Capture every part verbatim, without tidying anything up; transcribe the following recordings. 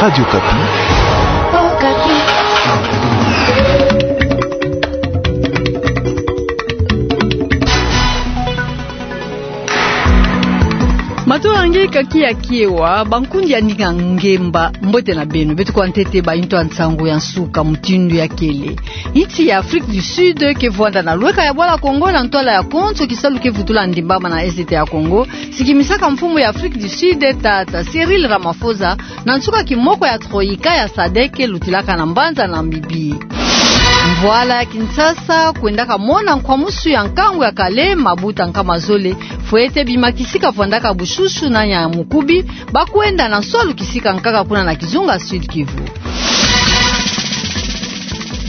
Radio Okapi. Matondo na nge kaka ya kiewa, bankundi ya ndinga ngemba, mbote na beno. Beto kwa ntete ba intu ya nsangu ya nsuka mutindu ya kele. Insi ya Afrique du Sud ke vwanda na lweka ya bwala Kongo na ntwala ya konso kisalu ke vutula ndimbama na Est ya Kongo, sikimisaka mfumu ya Afrique du Sud, tata Cyril Ramaphosa, na nsuka kimoko ya Troïka ya sadec lutilaka na mbanza Namibie. Mvwala ya Kinshasa kwendaka mona nkwamusu ya nkangu ya kale, mabuta nkama zole, fwete bima kisika vwandaka bushushu na nyamukubi, ba kwenda na nswalu kisika nkaka kuna na kizunga Sud-Kivu.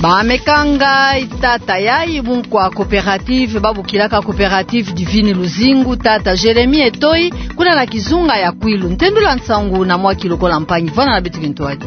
Ba me kanga tata yayi bunkwa coopérative, ba bokilaka Coopérative Divine Luzingu, tata Jérémie Etoyi, kuna na kizunga ya Kwilu. Ntendula nsangu na mwa ki lokola mpangi, vwanda na beto kintwadi.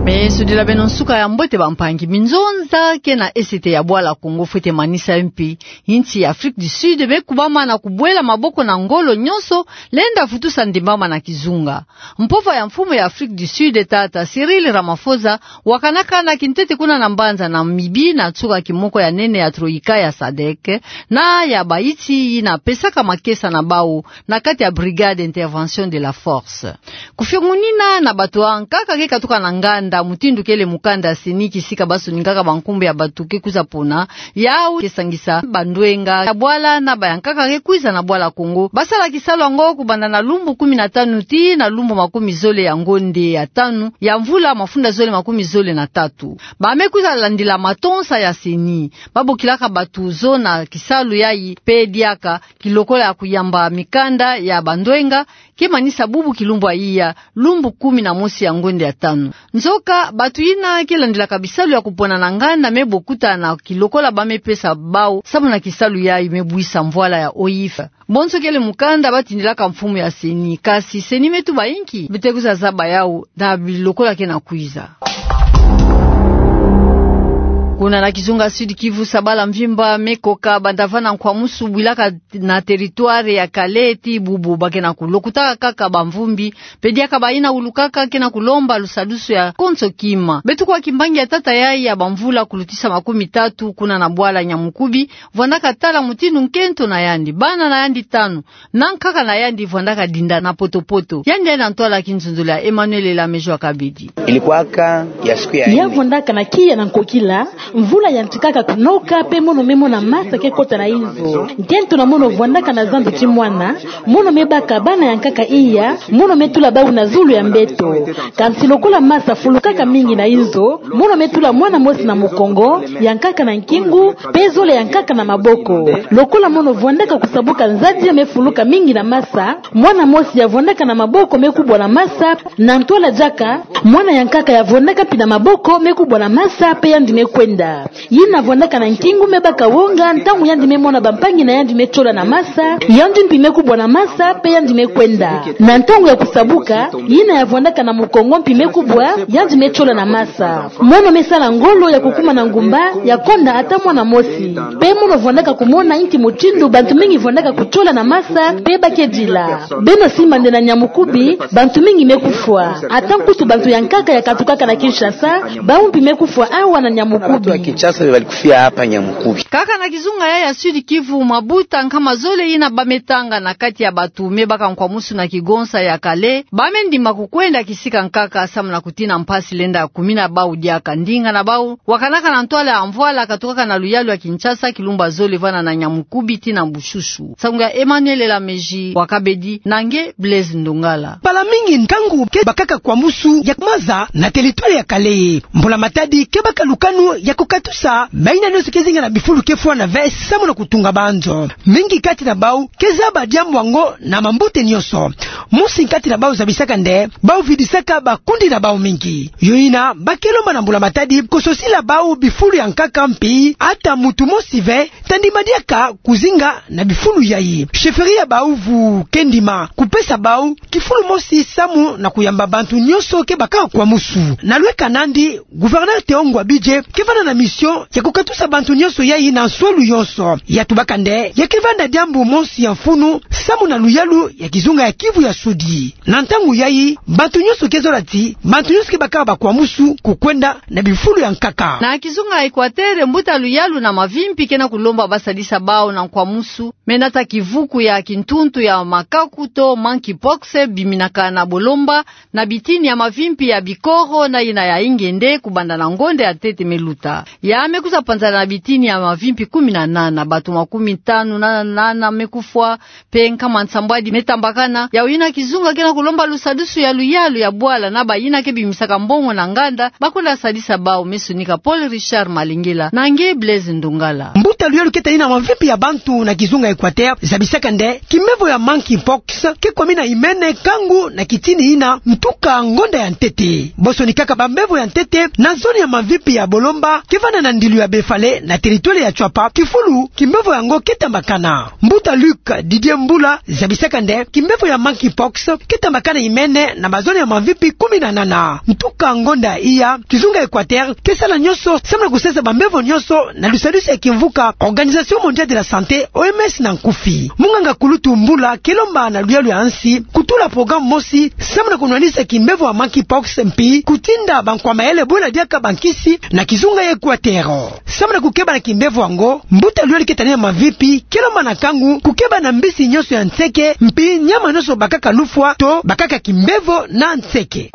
Me sudila beno nsuka ya mbote, bampangi. Minzonza ke na Est ya bwala Kongo fwete manisa mpi insi ya Afrique du Sud me kubama na kubwela maboko na ngolo nyonso, lenda vutusa ndimbama na kizunga. Mpova ya mfumu ya Afrique du Sud, tata Cyril Ramaphosa, wakanaka na kintete kuna na mbanza Namibie na nsuka kimoko ya nene ya Troïka ya sadec, na ya baiti yina pesaka makesa na bau na kati ya Brigade d'Intervention de la Force. Kufiongunina na bato ya nkaka ke katuka na nganda, mutindu kele mukanda ya CENI kisika ba sonikaka bankumbu ya bato ke kwiza pona, yau ke sangisa bandwenga ya bwala na ba ya nkaka ke kwiza na bwala Kongo. Ba sala kisalu yango kubanda na lumbu kumi na tanu tii na lumbu makumi zole ya ngonde ya tanu ya mvula mafunda zole makumi zole na tatu. Ba me kwiza landila matonsa ya CENI. Ba bokilaka bato zona kisalu yayi pe diaka, ki lokola ya kuyamba mikanda ya bandwenga, ke manisa bubu kilumbu ya iya, lumbu kumi na mosi ya ngonde ya tanu. Nzoka, bato yina ke landilaka bisalu ya kupona na nganda me bokuta na ki lokola ba me pesa bau, samu na kisalu yayi me bwisa mvwala ya OIF. Bonso kele mukanda ba tindilaka mfumu ya CENI, kasi CENI me tuba inki bete kwiza zaba yau na bi lokola ke na kwiza. Kuna na kizunga Sud-Kivu, sabala mvimba me koka banda va na nkwamusu bwilaka na territoire ya Kale tii bubu ba ke na kulokutaka kaka bamvumbi, pe diaka bayina ulukaka, ke na kulomba lusadusu ya konso kima. Beto kwa kimbangi ya tata yayi ya bamvula kulutisa makumi tatu kuna na bwala Nyamukubi, vwandaka tala mutindu nkento na yandi, bana na yandi tanu, na nkaka na yandi vwandaka dinda na poto-poto. Yandi yandi na ntwala kinzonzolo ya Emmanuel Elamejo Akabedi. Ilikuwaka ya siku ya nne. Ya vwandaka na kiya na nkokila, mvula yantikaka kunoka, pe mono me mona masa ke kota na inzo. Nkento na mono vwandaka na zandu ti mwana, mono me baka bana ya nkaka iya, mono me tula bau na zulu ya mbeto. Kansi lokola masa fulukaka mingi na inzo, mono me tula mwana mosi na mukongo, ya nkaka na nkingu, pe zole ya nkaka na maboko. Lokola mono vwandaka kusabuka nzadi ya me fuluka mingi na masa, mwana mosi ya vwandaka na maboko me kubwa na masa, na ntwala diaka, mwana ya nkaka ya vwandaka mpi na maboko me kubwa na masa, pe yandi me kwenda. Yina vwandaka na nkingu me baka wonga, ntangu yandi me mona bampangi na yandi me tiola na masa, yandi mpi me kubwa na masa, pe yandi me kwenda. Na ntangu ya kusabuka, yina ya vwandaka na mukongo mpi me kubwa, yandi me tiola na masa. Mono me sala ngolo ya kukuma na ngumba, ya konda ata mwana mosi. Pe mono vwandaka kumona inki mutindu bantu mingi vwandaka kutiola na masa, pe ba ke dila. Beno simba nde na Nyamukubi, bantu mingi me kufwa. Ata nkutu bantu ya nkaka ya katukaka na Kinshasa, bau mpi me kufwa awa na Nyamukubi. Bantu ya Kinshasa be bali kufia hapa Nyamukubi. Kaka na kizunga ya, ya Sud-Kivu, mabuta nkama zole yina ba me tanga na kati ya bato me baka nkwamusu na kigonsa ya Kale, ba me ndima kukwenda kisika nkaka samu na kutina mpasi lenda kumina bau diaka. Ndinga na bau wakanaka na ntwala ya mvwala katukaka na luyalu ya Kinshasa, kilumbu ya zole vanda na Nyamukubi tii na Bushushu. Nsangu ya Emmanuel Elameji wa Kabedi, na nge Blaise Ndongala. Mbala mingi nkangu ke bakaka nkwamusu ya maza na territoire ya Kale. Mbula Matadi ke baka lukanu ya kukatusa mayina nyonso ke zinga na bifulu ke fwana ve samu na kutunga banzo. Mingi kati na bau ke zaba diambu yango na mambote nyonso. Mosi kati na bau zabisaka nde bau vidisaka bakundi na bau mingi. Yo ina, ba ke lomba na mbula-matadi kososila bau bifulu ya nkaka mpi ata mutu mosi ve ta ndima diaka kuzinga na bifulu yayi. Chefferie ya bau vu ke ndima kupesa bau kifulu mosi samu na kuyamba bantu nyonso ke bakaka kwa musu. Na lweka nandi, gouverneur Théo Ngouabidje ke vanda na mission ya kukatusa bantu nyonso yayi na nswalu yonso. Ya tubaka nde ya ke vanda diambu mosi ya mfunu samu na luyalu ya kizunga ya Kivu ya Sudi. Na ntangu yayi, bantu nyonso ke zola ti bantu nyonso ke bakaka kwa musu kukwenda na bifulu ya nkaka. Na kizunga Equateur, mbuta luyalu na mavimpi ke na kulomba basadisa bau na nkwa musu, me nata kivuku ya kintuntu ya makaku to monkeypox biminaka na bolomba na bitini ya mavimpi ya Bikoro na ina ya Ingende kubanda na ngonda ya ntete me luta. Ya me kwiza panzana na bitini ya mavimpi kumi na nana, bato makumi tanu na nana me kufwa, mpe nkama nsambwadi me tambakana. Yau ina kizunga ke na kulomba lusadusu ya luyalu ya bwala na bayina ke bimisaka mbongo na nganda bakwenda sadisa bau, me sonika Paul Richard Malengela na nge Blaise Ndongala. Mbuta luyalu ke tani na mavimpi ya bantu na kizunga Equateur zabisaka nde kimbevo ya monkeypox ke kwamina imene kangu na kitini ina ntuka ngonda ya ntete. Bo sonikaka bambevo ya ntete na zone ya mavimpi ya bolomba ke vanda na ndilu ya Befale na territoire ya Tshuapa, kifulu kimbevo yango ke tambakana. Mbuta Luc Didier Mbula zabisaka nde kimbevo ya monkeypox ke tambakana imene na bazone ya mavimpi kumi na nana. Ntuka ngonda iya, kizunga Equateur ke sala nyonso samu na kusesa bambevo nyonso na lusadusu ya kimvuka Organisation Mondiale de la Santé, O M S na nkufi. Munganga kulutu Mbula ke lomba na luyalu ya nsi kutula programme mosi samu na kunwanisa kimbevo ya monkeypox mpi kutinda bankwa mayele bwela diaka bankisi na kizunga ya Equateur. Samu na kukeba na kimbevo yango, mbuta luyalu ke tani na mavimpi ke lomba na kangu kukeba na mbisi nyonso ya nseke mpi nyama nyonso bakaka lufwa to bakaka kimbevo na nseke.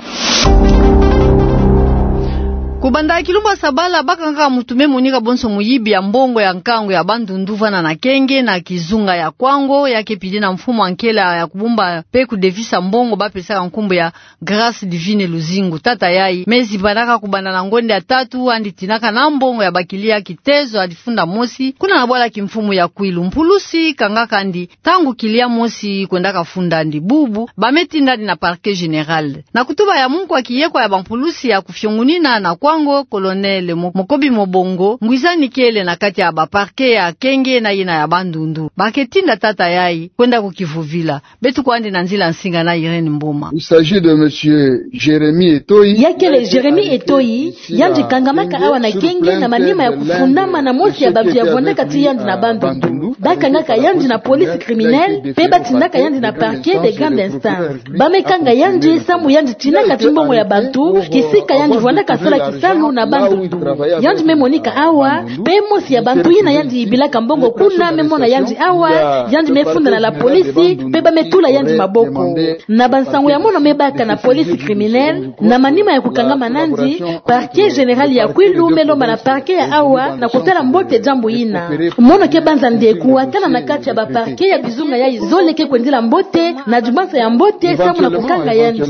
Kubanda kilumbu ya sabala, bakangaka mutu me monika bonso muyibi ya mbongo ya nkangu ya Bandundu vanda na Kenge na kizunga ya Kwango, ya ke pili na mfumu ya nkela ya kubumba mpe kudevisa mbongo bapesaka nkumbu ya Grâce Divine Luzingu. Tata yayi me zibanaka kubanda na ngonda ya tatu, yandi tinaka na mbongo ya bakilia kitezo ya difunda mosi kuna na bwala kimfumu ya Kwilu. Mpulusi kangaka yandi ntangu kilia mosi kwendaka funda yandi. Bubu ba me tinda yandi na Parquet Général. Na kutuba ya munkwa kiyekwa ya bampulusi ya kufiongunina na Kwango, Colonel Mo-, Mokobi Mobongo, ngwizani kele na kati ya ba parquet ya Kenge na yina ya Bandundu. Ba ke tinda tata yayi kwenda kukivovila. Beto kwandi na nzila nsinga na Irène Mboma. Il s'agit de monsieur Jérémie Etoyi. Ya kele Jérémie Etoyi, yandi kangamaka awa na Kenge na manima ya kufundama na mosi ya bantu ya vwandaka ti yandi na Bandundu. Ba kangaka yandi na police criminelle, mpe ba tindaka yandi na parquet de grande instance. Ba me kanga yandi samu yandi tinaka ti mbongo ya bantu kisika yandi vwandaka sala kisalu na Bandundu. Yandi me monika awa, mpe mosi ya bantu yina yandi yibilaka mbongo kuna me mona yandi awa, yandi me funda na la police, mpe ba me tula yandi maboko. Na bansangu ya mono me baka na police criminelle, na manima ya kukangama na yandi, Parquet Général ya Kwilu me lomba na parquet ya awa na kutala mbote diambu yina. Mono ke banza nde kuwakana na kati ya ba parquet ya kizunga yayi zole ke kwendila mbote, na dimansa ya mbote samu na kukanga yandi.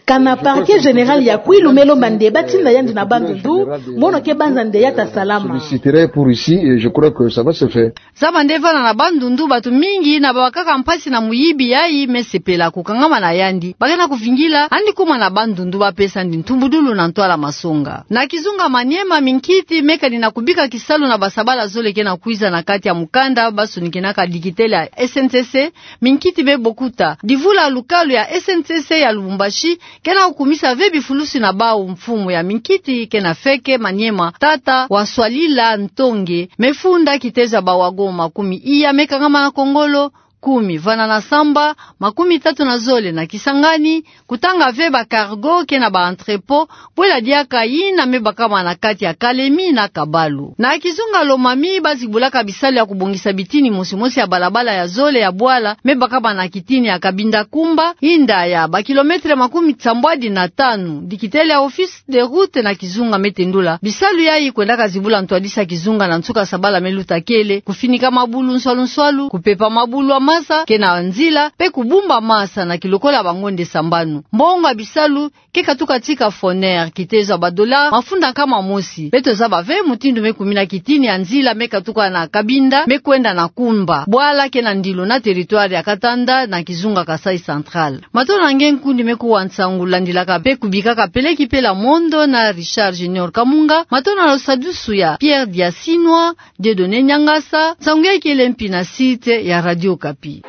Kana Parquet Général ya Kwilu me lomba nde ba tinda yandi na Bandundu, mono ke banza nde ya ta salama. Solliciterai pour ici et je crois que ça va se faire. Zaba nde vana na Bandundu, bato mingi yina babakaka mpasi na muyibi yayi me sepela kukangama na yandi. Ba ke na kuvingila yandi kuma na Bandundu, ba pesa yandi ntumbudulu na ntwala masonga. Na kizunga Maniema, minkiti me kani na kubika kisalu na basabala zole ke na kwiza na kati ya mukanda ba sonikinaka dikitele ya S N C C, minkiti me bokuta. Divula lukalu ya S N C C ya Lubumbashi ke na kukumisa ve bifulusi na bau. Mfumu ya minkiti ke na feke Maniema, tata Waswalila Ntonge, me funda kitezo ya ba wagon makumi iya me kangama na kongolo, kumi vana na samba, makumi tatu na zole na Kisangani, kutanga ve ba cargo ke na ba entrepôt, bwela diaka yina me bakama na kati ya Kalemi na Kabalu. Na kizunga Lomami, ba zibulaka bisalu ya kubongisa bitini mosi mosi ya balabala ya zole ya bwala me bakama na kitini ya Cabinda-Cumba, yinda ya ba kilomètre makumi sambwadi na tanu. Dikitele ya office de route na kizunga me tendula bisalu yayi kwendaka zibula ntwadisi ya kizunga na nsuka sabala me luta kele, kufinika mabulu nswalu nswalu, kupepa mabulu ya Nyangasa ke na nzila mpe kubumba masa na kilokola bangonde sambanu. Mbongo ya bisalu ke katuka tika Foner, kitezo ya ba dollars mafunda nkama mosi. Beto zaba ve mutindu me kumina kitini ya nzila me katuka na Cabinda me kwenda na Kumba, bwala ke na ndilo na territoire ya Katanda na kizunga Kasaï Central. Matona nge nkundi me kuwa nsangu landilaka mpe kubikaka peleki pela mondo na Richard Junior Kamunga. Matona lo sadusu ya Pierre Diasinwa, Dieudonné Nyangasa, nsangu yai kele mpi na site ya Radio Okapi.